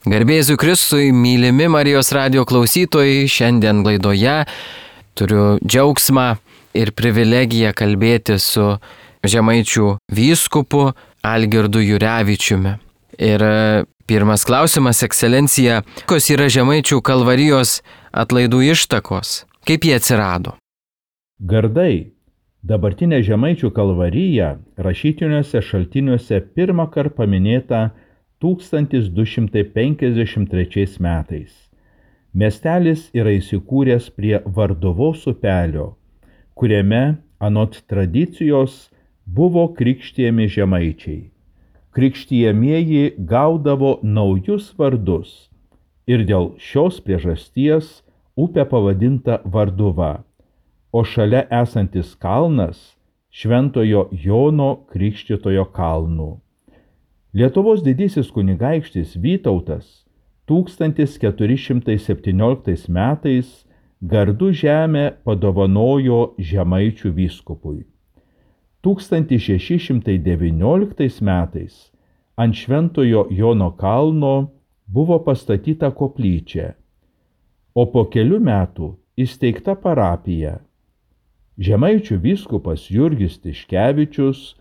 Garbė Jėzui Kristui, mylimi Marijos radijo klausytojai, šiandien laidoje turiu džiaugsmą ir privilegiją kalbėti su Žemaičių vyskupu Algirdu Jurevičiumi. Ir pirmas klausimas, ekscelencija, kokios yra Žemaičių kalvarijos atlaidų ištakos? Kaip jie atsirado? Gardai. Dabartinė Žemaičių kalvarija rašytiniuose šaltiniuose pirmą kartą paminėta 1253 metais. Miestelis yra įsikūręs prie Varduvos upelio, kuriame anot tradicijos buvo krikštijami žemaičiai. Krikštijamieji gaudavo naujus vardus ir dėl šios priežasties upė pavadinta Varduva, o šalia esantis kalnas Šventojo Jono Krikštytojo kalnu. Lietuvos didysis kunigaikštis Vytautas 1417 metais Gardų žemę padovanojo Žemaičių vyskupui. 1619 metais ant Šventojo Jono kalno buvo pastatyta koplyčia, o po kelių metų įsteigta parapija. Žemaičių vyskupas Jurgis Tiškevičius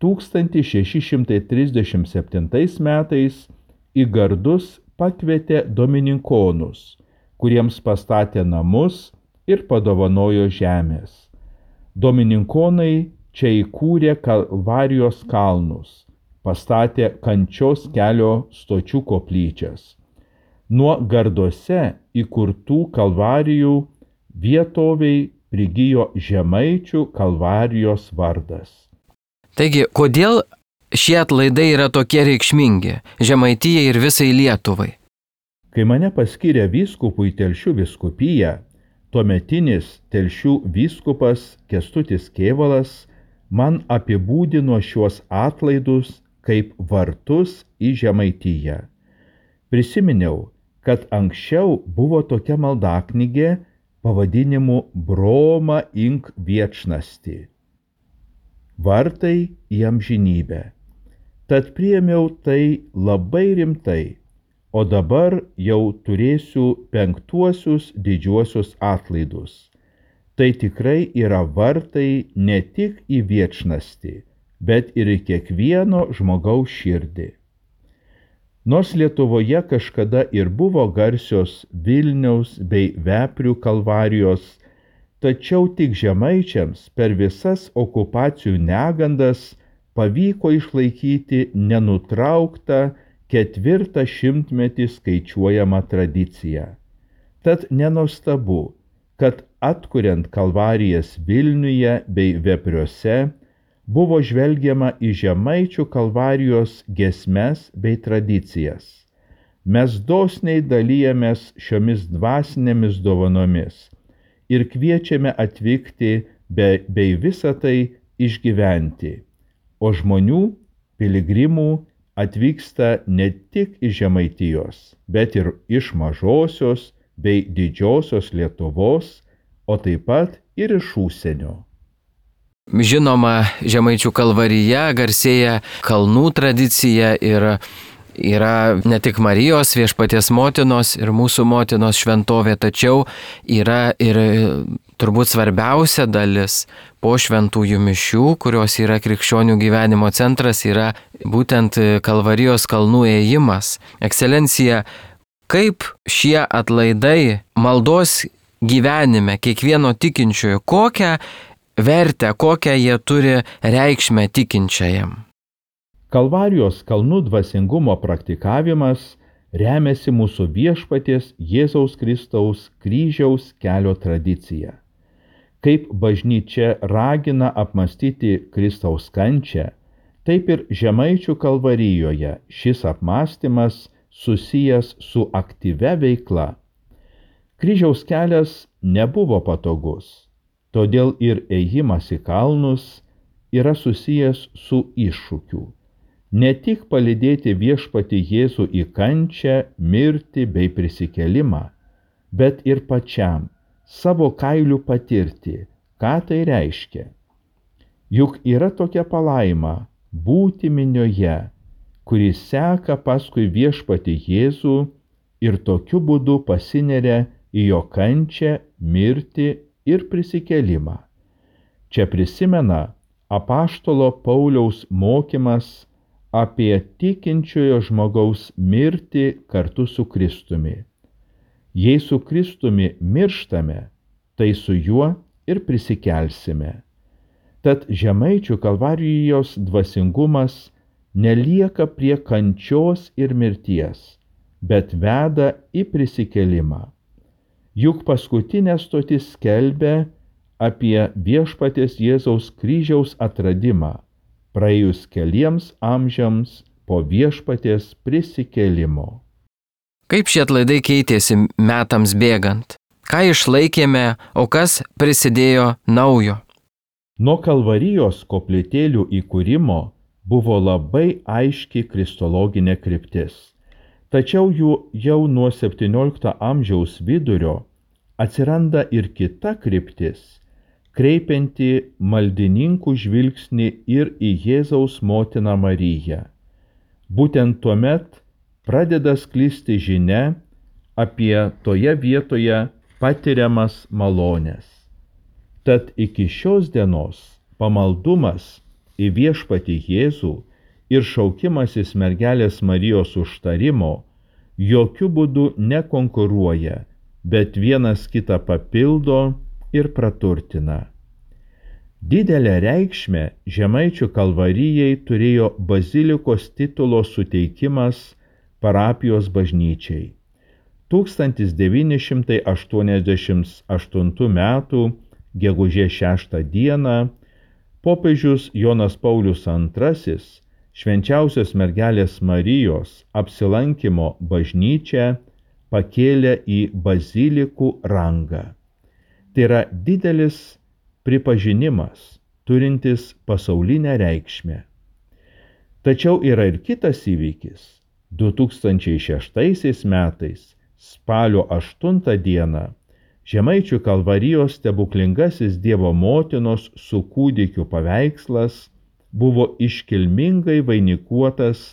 1637 metais į Gardus pakvietė domininkonus, kuriems pastatė namus ir padovanojo žemės. Domininkonai čia įkūrė Kalvarijos kalnus, pastatė Kančios kelio stočių koplyčias. Nuo Garduose įkurtų kalvarijų vietoviai prigijo Žemaičių kalvarijos vardas. Taigi, kodėl šie atlaidai yra tokie reikšmingi Žemaitijai ir visai Lietuvai? Kai mane paskyrė vyskupu į Telšių vyskupiją, tuometinis Telšių vyskupas Kęstutis Kėvalas man apibūdino šiuos atlaidus kaip vartus į Žemaitiją. Prisiminiau, kad anksčiau buvo tokia maldaknygė pavadinimu Broma ink viečnasti. Vartai į amžinybę. Tad priėmiau tai labai rimtai, o dabar jau turėsiu 5 didžiuosius atlaidus. Tai tikrai yra vartai ne tik į viečnastį, bet ir į kiekvieno žmogaus širdį. Nors Lietuvoje kažkada ir buvo garsios Vilniaus bei Veprių kalvarijos, tačiau tik žemaičiams per visas okupacijų negandas pavyko išlaikyti nenutrauktą 4 šimtmetį skaičiuojamą tradiciją. Tad nenuostabu, kad atkuriant kalvarijas Vilniuje bei Vepriuose buvo žvelgiama į Žemaičių kalvarijos giesmes bei tradicijas. Mes dosniai dalijamės šiomis dvasinėmis dovanomis ir kviečiame atvykti bei visą tai išgyventi. O žmonių, piligrimų atvyksta ne tik iš Žemaitijos, bet ir iš mažosios bei didžiosios Lietuvos, o taip pat ir iš užsienio. Žinoma, Žemaičių kalvarija garsėja kalnų tradicija ir yra ne tik Marijos viešpaties motinos ir mūsų motinos šventovė, tačiau yra ir turbūt svarbiausia dalis po šventųjų mišių, kurios yra krikščionių gyvenimo centras, yra būtent Kalvarijos kalnų ėjimas. Ekscelencija, kaip šie atlaidai maldos gyvenime kiekvieno tikinčiojo, kokią vertę, kokią jie turi reikšmę tikinčiajam? Kalvarijos kalnų dvasingumo praktikavimas remiasi mūsų viešpaties Jėzaus Kristaus kryžiaus kelio tradicija. Kaip bažnyčia ragina apmąstyti Kristaus kančią, taip ir Žemaičių kalvarijoje šis apmąstymas susijęs su aktyvia veikla. Kryžiaus kelias nebuvo patogus, todėl ir ėjimas į kalnus yra susijęs su iššūkiu. Ne tik palydėti viešpatį Jėzų į kančią, mirtį bei prisikėlimą, bet ir pačiam savo kailiu patirti, ką tai reiškia. Juk yra tokia palaima būti minioje, kuris seka paskui viešpatį Jėzų ir tokiu būdu pasineria į jo kančią, mirtį ir prisikėlimą. Čia prisimena apaštalo Pauliaus mokymas apie tikinčiojo žmogaus mirtį kartu su Kristumi. Jei su Kristumi mirštame, tai su juo ir prisikelsime. Tad Žemaičių Kalvarijos dvasingumas nelieka prie kančios ir mirties, bet veda į prisikėlimą. Juk paskutinė stotis skelbia apie viešpaties Jėzaus kryžiaus atradimą, praėjus keliems amžiams po viešpaties prisikėlimo. Kaip šie atlaidai keitėsi metams bėgant? Ką išlaikėme, o kas prisidėjo naujo? Nuo Kalvarijos koplytėlių įkūrimo buvo labai aiški kristologinė kryptis. Tačiau jau nuo XVII amžiaus vidurio atsiranda ir kita kryptis, kreipianti maldininkų žvilgsnį ir į Jėzaus motiną Mariją. Būtent tuomet pradeda sklisti žinia apie toje vietoje patiriamas malones. Tad iki šios dienos pamaldumas į viešpatį Jėzų ir šaukimasis mergelės Marijos užtarimo jokių būdų nekonkuruoja, bet vienas kitą papildo ir praturtina. Didelę reikšmę Žemaičių Kalvarijai turėjo bazilikos titulo suteikimas parapijos bažnyčiai. 1988 m. gegužės 6 d. popiežius Jonas Paulius II švenčiausios mergelės Marijos apsilankymo bažnyčią pakėlė į bazilikų rangą. Tai yra didelis pripažinimas, turintis pasaulinę reikšmę. Tačiau yra ir kitas įvykis. 2006 metais, spalio 8 d. Žemaičių Kalvarijos stebuklingasis Dievo motinos su kūdikiu paveikslas buvo iškilmingai vainikuotas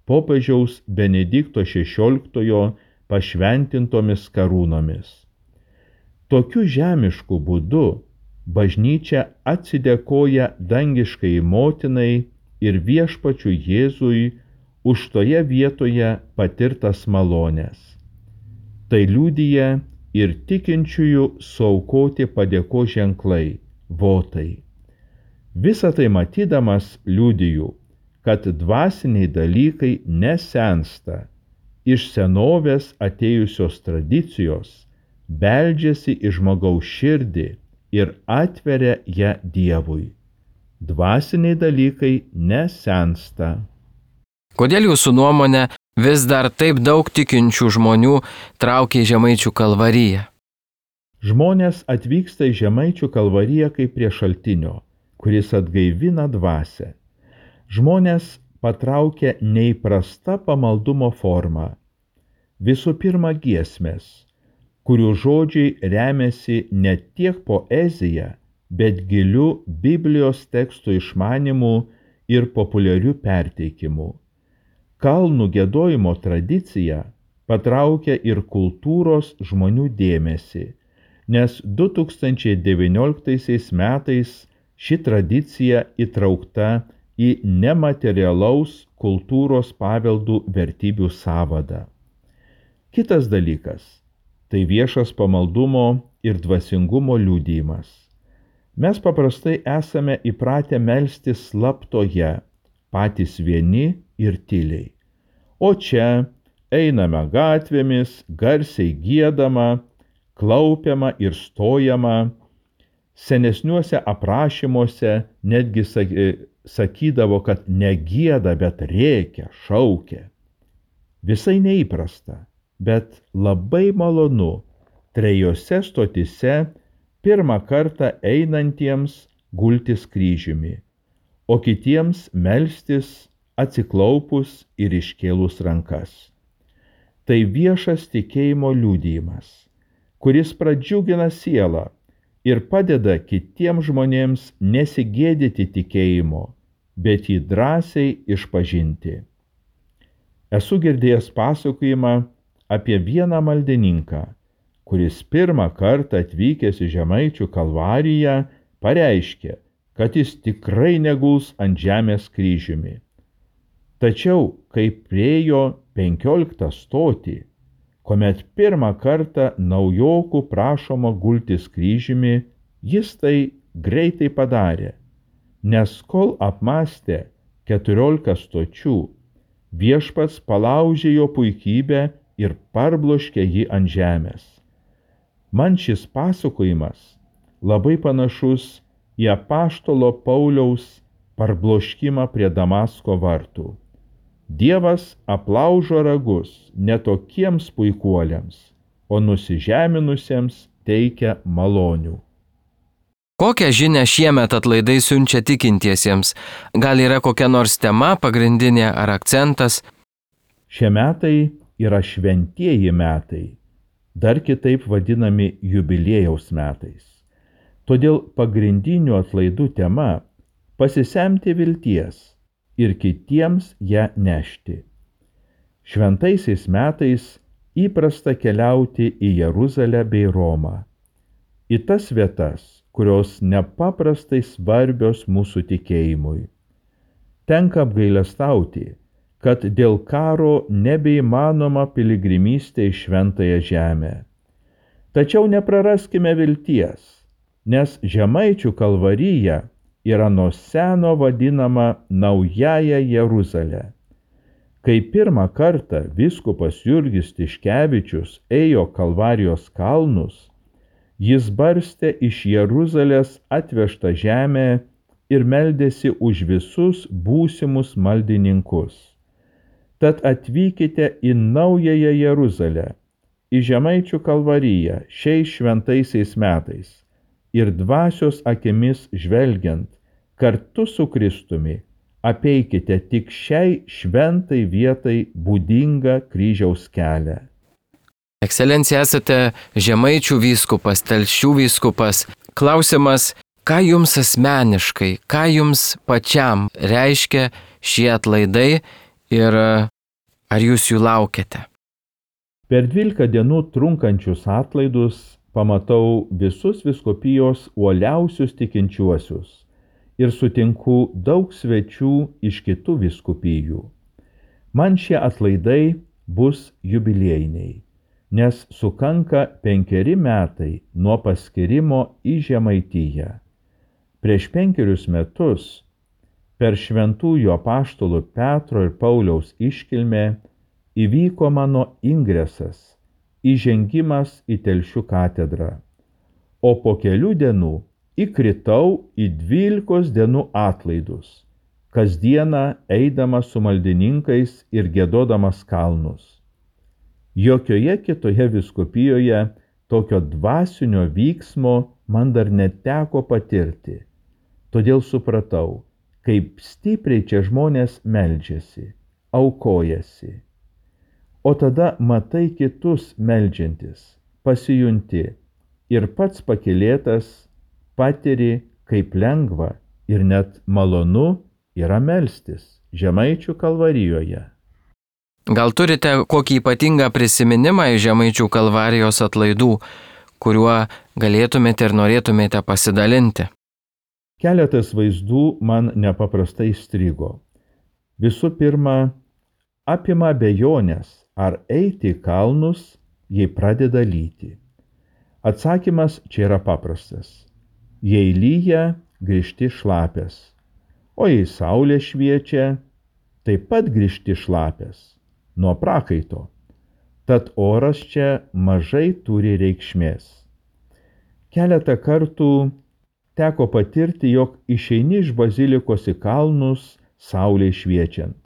popiežiaus Benedikto XVI pašventintomis karūnomis. Tokiu žemišku būdu bažnyčia atsidėkoja dangiškai motinai ir viešpačiui Jėzui už toje vietoje patirtas malones. Tai liudija ir tikinčiųjų suaukoti padėkos ženklai, votai. Visą tai matydamas liudiju, kad dvasiniai dalykai nesensta, iš senovės atėjusios tradicijos beldžiasi į žmogaus širdį ir atveria ją Dievui. Dvasiniai dalykai nesensta. Kodėl jūsų nuomonė vis dar taip daug tikinčių žmonių traukia į Žemaičių Kalvariją? Žmonės atvyksta į Žemaičių Kalvariją kaip prie šaltinio, kuris atgaivina dvasią. Žmonės patraukia neįprasta pamaldumo forma. Visų pirma giesmės, kurių žodžiai remiasi ne tiek poezija, bet giliu Biblijos tekstų išmanimu ir populiariu perteikimu. Kalnų giedojimo tradicija patraukia ir kultūros žmonių dėmesį, nes 2019 metais ši tradicija įtraukta į nematerialaus kultūros paveldų vertybių sąvadą. Kitas dalykas – tai viešas pamaldumo ir dvasingumo liudijimas. Mes paprastai esame įpratę melstis slaptoje, patys vieni ir tyliai. O čia einame gatvėmis, garsiai giedama, klaupiama ir stojama. Senesniuose aprašymuose netgi sakydavo, kad negieda, bet rėkia, šaukia. Visai neįprasta, bet labai malonu trejose stotise pirmą kartą einantiems gultis kryžiumi, o kitiems melstis atsiklaupus ir iškėlus rankas. Tai viešas tikėjimo liudijimas, kuris pradžiugina sielą ir padeda kitiems žmonėms nesigėdyti tikėjimo, bet jį drąsiai išpažinti. Esu girdėjęs pasakojimą apie vieną maldininką, kuris pirmą kartą atvykęs į Žemaičių Kalvariją pareiškė, kad jis tikrai neguls ant žemės kryžiumi. Tačiau, kai priejo 15 stotį, kuomet pirmą kartą naujokų prašoma gultis kryžiumi, jis tai greitai padarė, nes kol apmąstė 14 stočių, viešpats palaužė jo puikybę ir parbloškė jį ant žemės. Man šis pasakojimas labai panašus į apaštalo Pauliaus parbloškimą prie Damasko vartų. Dievas aplaužo ragus ne tokiems puikuoliams, o nusižeminusiems teikia malonių. Kokią žinią šiemet atlaidai siunčia tikintiesiems? Gal yra kokia nors tema pagrindinė ar akcentas? Šie metai yra šventieji metai, dar kitaip vadinami jubiliejaus metais. Todėl pagrindinių atlaidų tema – pasisemti vilties ir kitiems ją nešti. Šventaisiais metais įprasta keliauti į Jeruzalę bei Romą, į tas vietas, kurios nepaprastai svarbios mūsų tikėjimui. Tenka apgailestauti, kad dėl karo nebeįmanoma piligrimystė į Šventąją Žemę. Tačiau nepraraskime vilties, nes Žemaičių Kalvarija yra nuo seno vadinama Naująja Jeruzalė. Kai pirmą kartą vyskupas Jurgis Tiškevičius ėjo Kalvarijos kalnus, jis barstė iš Jeruzalės atvežtą žemę ir meldėsi už visus būsimus maldininkus. Tad atvykite į Naująją Jeruzalę, į Žemaičių Kalvariją šiais šventaisiais metais ir dvasios akimis žvelgiant, kartu su Kristumi apeikite tik šiai šventai vietai būdingą kryžiaus kelią. Ekscelencija, esate Žemaičių vyskupas, Telšių vyskupas. Klausimas, ką jums asmeniškai, ką jums pačiam reiškia šie atlaidai ir ar jūs jų laukiate? Per 12 dienų trunkančius atlaidus pamatau visus vyskupijos uoliausius tikinčiuosius ir sutinku daug svečių iš kitų vyskupijų. Man šie atlaidai bus jubiliejiniai, nes sukanka 5 metai nuo paskirimo į Žemaitiją. Prieš 5 metus per šventųjų apaštalų Petro ir Pauliaus iškilmę įvyko mano ingresas, įžengimas į Telšių katedrą, o po kelių dienų įkritau į 12 dienų atlaidus, kasdieną eidamas su maldininkais ir giedodamas kalnus. Jokioje kitoje vyskupijoje tokio dvasinio vyksmo man dar neteko patirti, todėl supratau, kaip stipriai čia žmonės meldžiasi, aukojasi. O tada matai kitus meldžiantis, pasijunti ir pats pakylėtas patiri, kaip lengva ir net malonu yra melstis Žemaičių Kalvarijoje. Gal turite kokį ypatingą prisiminimą iš Žemaičių Kalvarijos atlaidų, kuriuo galėtumėte ir norėtumėte pasidalinti? Keletas vaizdų man nepaprastai įstrigo. Visų pirma, apima abejonės, ar eiti į kalnus, jei pradeda lyti. Atsakymas čia yra paprastas. Jei lyja, grįžti šlapės, o jei saulė šviečia, taip pat grįžti šlapės nuo prakaito. Tad oras čia mažai turi reikšmės. Keletą kartų teko patirti, jog išeini iš bazilikos į kalnus saulei šviečiant.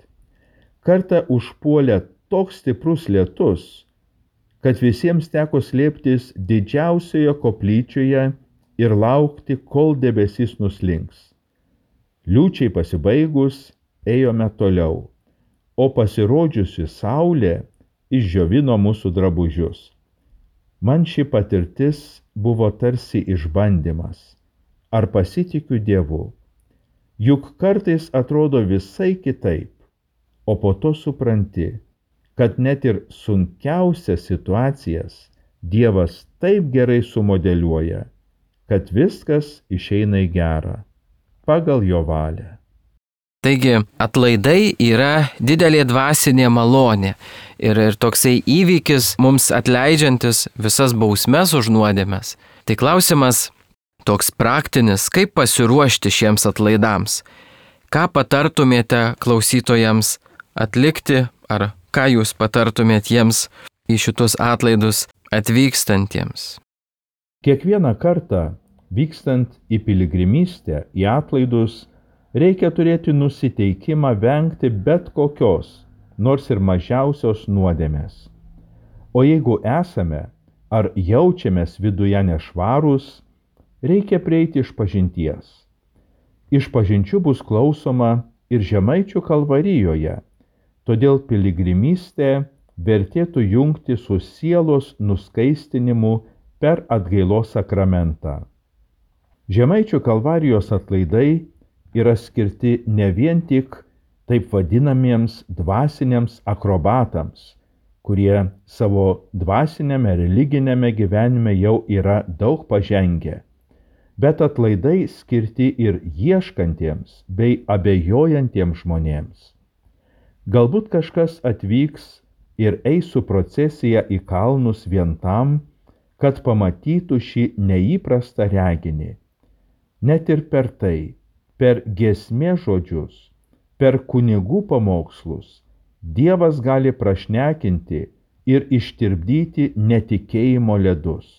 Kartą užpuolė toks stiprus lietus, kad visiems teko slėptis didžiausioje koplyčioje ir laukti, kol debesis nuslinks. Liūčiai pasibaigus, ėjome toliau, o pasirodžiusi saulė išdžiovino mūsų drabužius. Man ši patirtis buvo tarsi išbandymas. Ar pasitikiu Dievu? Juk kartais atrodo visai kitaip, o po to supranti, kad net ir sunkiausias situacijas Dievas taip gerai sumodeliuoja, kad viskas išeina į gerą, pagal jo valią. Taigi atlaidai yra didelė dvasinė malonė ir toksai įvykis mums atleidžiantis visas bausmes už nuodėmes. Tai klausimas toks praktinis, kaip pasiruošti šiems atlaidams. Ką patartumėte klausytojams atlikti, ar ką jūs patartumėte jiems į šitus atlaidus atvykstantiems? Kiekvieną kartą vykstant į piligrimystę, į atlaidus, reikia turėti nusiteikimą vengti bet kokios, nors ir mažiausios nuodėmės. O jeigu esame ar jaučiamės viduje nešvarūs, reikia prieiti išpažinties. Išpažinčių bus klausoma ir Žemaičių kalvarijoje, todėl piligrimystę vertėtų jungti su sielos nuskaistinimu per atgailos sakramentą. Žemaičių kalvarijos atlaidai yra skirti ne vien tik taip vadinamiems dvasiniams akrobatams, kurie savo dvasinėme religinėme gyvenime jau yra daug pažengę, bet atlaidai skirti ir ieškantiems bei abejojantiems žmonėms. Galbūt kažkas atvyks ir eis su procesija į kalnus vien tam, kad pamatytų šį neįprastą reginį. Net ir per tai, per giesmės žodžius, per kunigų pamokslus, Dievas gali prašnekinti ir ištirpdyti netikėjimo ledus.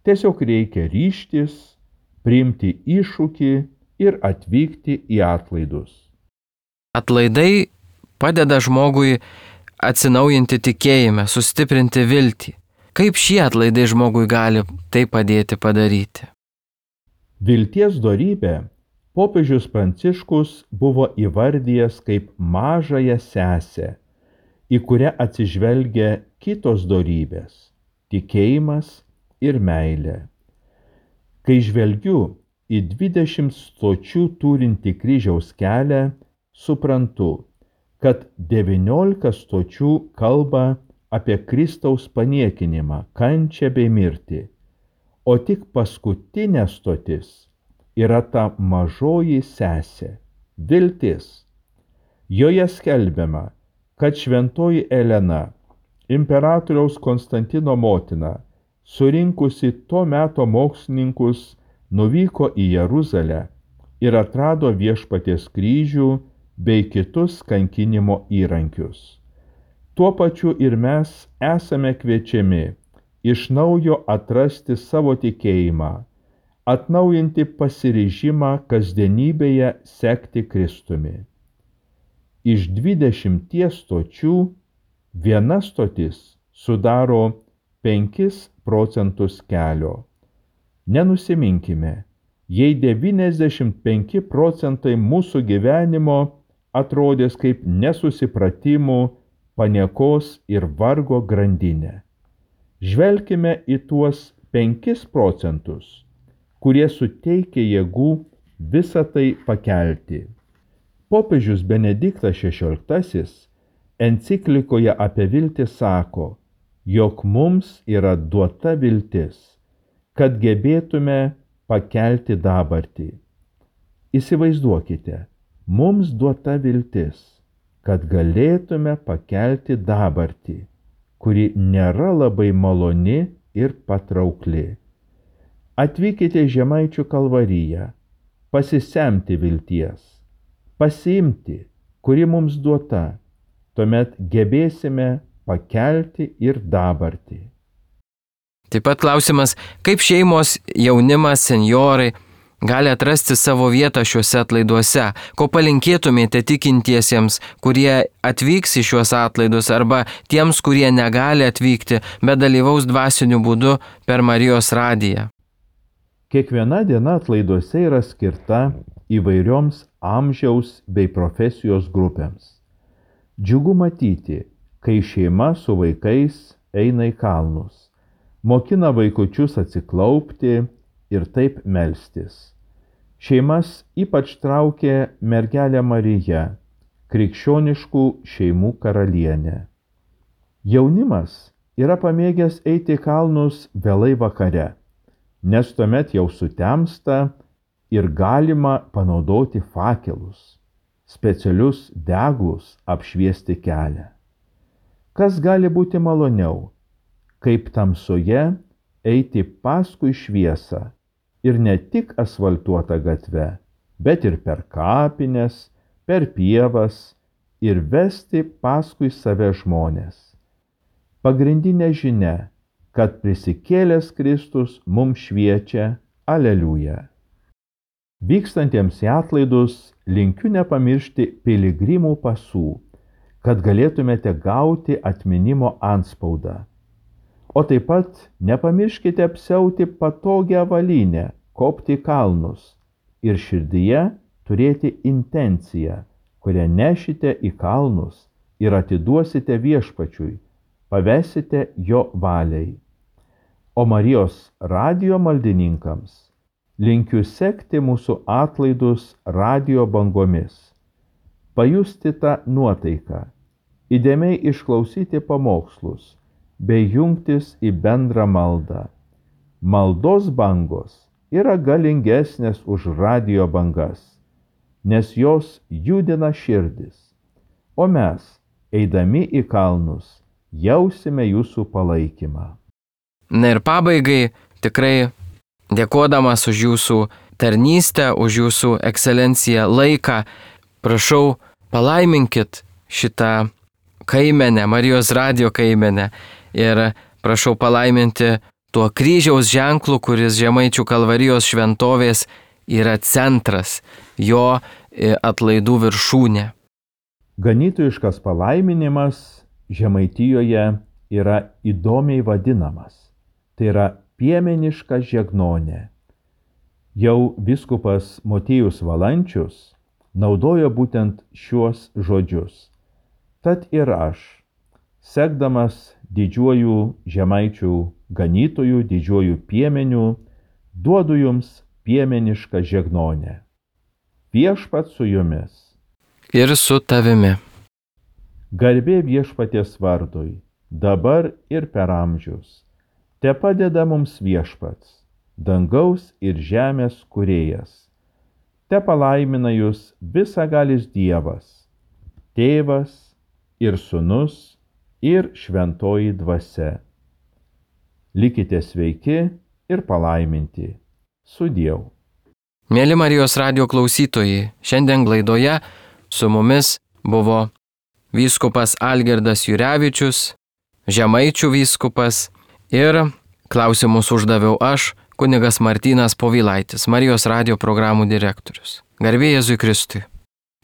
Tiesiog reikia ryžtis, priimti iššūkį ir atvykti į atlaidus. Atlaidai padeda žmogui atsinaujinti tikėjime, sustiprinti viltį. Kaip šie atlaidai žmogui gali tai padėti padaryti? Vilties dorybę popiežius Pranciškus buvo įvardijęs kaip mažąją sesę, į kurią atsižvelgia kitos dorybės – tikėjimas ir meilė. Kai žvelgiu į 20 stočių turinti kryžiaus kelią, suprantu, kad 19 stočių kalba apie Kristaus paniekinimą, kančią bei mirtį, o tik paskutinė stotis yra ta mažoji sesė – viltis. Joje skelbiama, kad šventoji Elena, imperatoriaus Konstantino motina, surinkusi to meto mokslininkus, nuvyko į Jeruzalę ir atrado Viešpaties kryžių bei kitus kankinimo įrankius. Tuo pačiu ir mes esame kviečiami iš naujo atrasti savo tikėjimą, atnaujinti pasiryžimą kasdienybėje sekti Kristumi. Iš 20 stočių viena stotis sudaro 5 procentus kelio. Nenusiminkime, jei 95 procentai mūsų gyvenimo atrodės kaip nesusipratimų, paniekos ir vargo grandinė. Žvelkime į tuos 5 procentus, kurie suteikia jėgų visą tai pakelti. Popiežius Benediktas XVI enciklikoje apie viltį sako, jog mums yra duota viltis, kad gebėtume pakelti dabartį. Įsivaizduokite, mums duota viltis, kad galėtume pakelti dabartį, kuri nėra labai maloni ir patraukli. Atvykite į Žemaičių kalvariją, pasisemti vilties, pasiimti, kuri mums duota, tuomet gebėsime pakelti ir dabartį. Taip pat klausimas, kaip šeimos, jaunimas, senjorai gali atrasti savo vietą šiuose atlaiduose, ko palinkėtumėte tikintiesiems, kurie atvyks į šiuos atlaidus arba tiems, kurie negali atvykti, bet dalyvaus dvasiniu būdu per Marijos radiją. Kiekviena diena atlaiduose yra skirta įvairioms amžiaus bei profesijos grupėms. Džiugu matyti, kai šeima su vaikais eina į kalnus, mokina vaikučius atsiklaupti ir taip melstis. Šeimas ypač traukė mergelė Marija, krikščioniškų šeimų karalienė. Jaunimas yra pamėgęs eiti į kalnus vėlai vakare, nes tuomet jau sutemsta ir galima panaudoti fakelus, specialius deglus apšviesti kelią. Kas gali būti maloniau, kaip tamsoje eiti paskui šviesą ir ne tik asfaltuotą gatvę, bet ir per kapines, per pievas ir vesti paskui save žmonės. Pagrindinė žinia, kad prisikėlęs Kristus mums šviečia, aleliuja. Vykstantiems į atlaidus linkiu nepamiršti piligrimų pasų, kad galėtumėte gauti atminimo antspaudą. O taip pat nepamirškite apsiauti patogią avalynę, kopti į kalnus ir širdyje turėti intenciją, kurią nešite į kalnus ir atiduosite viešpačiui, pavesite jo valiai. O Marijos radijo maldininkams linkiu sekti mūsų atlaidus radijo bangomis, pajusti tą nuotaiką, įdėmiai išklausyti pamokslus, bei jungtis į bendrą maldą. Maldos bangos yra galingesnės už radijo bangas, nes jos judina širdis, o mes, eidami į kalnus, jausime jūsų palaikymą. Na ir pabaigai tikrai dėkodamas už jūsų tarnystę, už jūsų ekscelenciją laiką, prašau, palaiminkit šitą kaimenę, Marijos radijo kaimenę ir prašau palaiminti tuo kryžiaus ženklu, kuris Žemaičių Kalvarijos šventovės yra centras, jo atlaidų viršūnė. Ganytojiškas palaiminimas Žemaitijoje yra įdomiai vadinamas. Tai yra piemeniška žegnonė. Jau vyskupas Motiejus Valančius naudojo būtent šiuos žodžius. Tad ir aš, sekdamas didžiuoju žemaičių ganytojų, didžiuoju piemeniu, duodu jums piemenišką žegnonę. Viešpats su jumis. Ir su tavimi. Garbė viešpaties vardui, dabar ir per amžius. Te padeda mums viešpats, dangaus ir žemės kūrėjas. Te palaimina jūs visagalis Dievas, Tėvas ir Sūnus ir Šventoji Dvasia. Likite sveiki ir palaiminti. Sudieu. Mėly Marijos radijo klausytojai, šiandien laidoje su mumis buvo vyskupas Algirdas Jurevičius, Žemaičių vyskupas ir klausimus uždaviau aš, kunigas Martynas Povilaitis, Marijos radijo programų direktorius. Garbė Jėzui Kristui.